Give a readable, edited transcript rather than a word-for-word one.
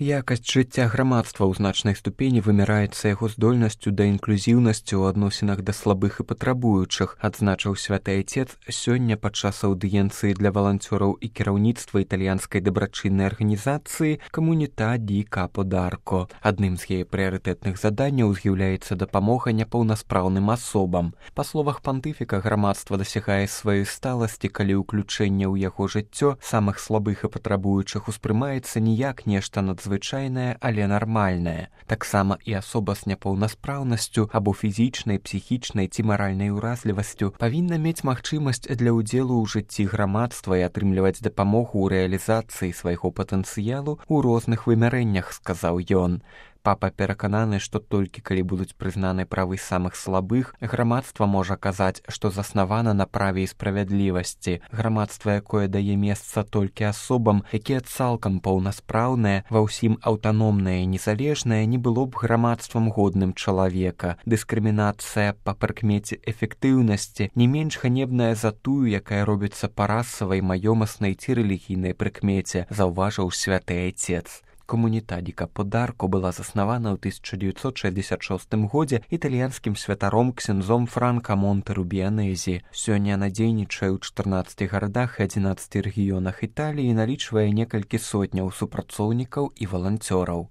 Якасць жыцця грамадства ў значнай ступені вымяраецца яго здольнасцю да інклюзіўнасці ў адносінах да слабых і патрабуючых, адзначыў святы айцец сёння падчас аўдыенцыі для валанцёраў і кіраўніцтва італьянскай дабрачыннай арганізацыі «Камуніта ді Капо д'Арко». Адным з яе прыярытэтных заданняў з'яўляецца дапамога няпаўнаспраўным асобам. Па словах пантыфіка, грамадства дасягае сваёй сталасці, калі ўключэнне ў яго жыццё самых слабых і патрабуючых успрымаецца не як нешта надзвычайнае, але нармальнае. Таксама і асоба з няпаўнаспраўнасцю або фізічнай, псіхічнай ці маральнай уразлівасцю павінна мець магчымасць для ўдзелу ў жыцці грамадства і атрымліваць дапамогу ў рэалізацыі свайго патэнцыялу ў розных вымярэннях, сказаў ён. Папа перакананы, што толькі калі будуць прызнаны правы самых слабых, грамадства можа казаць, што заснавана на праве і справядлівасці. Грамадства, якое дае месца толькі асобам, якія цалкам паўнаспраўныя, ва ўсім аўтаномныя і незалежныя, не было б грамадствам годным чалавека. Дыскрымінацыя па прыкмеце эфектыўнасці не менш ганебная за тую, якая робіцца па расавай, маёмаснай ці рэлігійнай прыкмеце, заўважыў святы айцец. «Камуніта ді Капо д'Арко» была заснавана ў 1966 годзе італьянскім святаром ксяндзом Франка Монтэру-Біянэзі. Сёння яна дзейнічае ў 14 гарадах і 11 рэгіёнах Італіі і налічвае некалькі сотняў супрацоўнікаў і валанцёраў.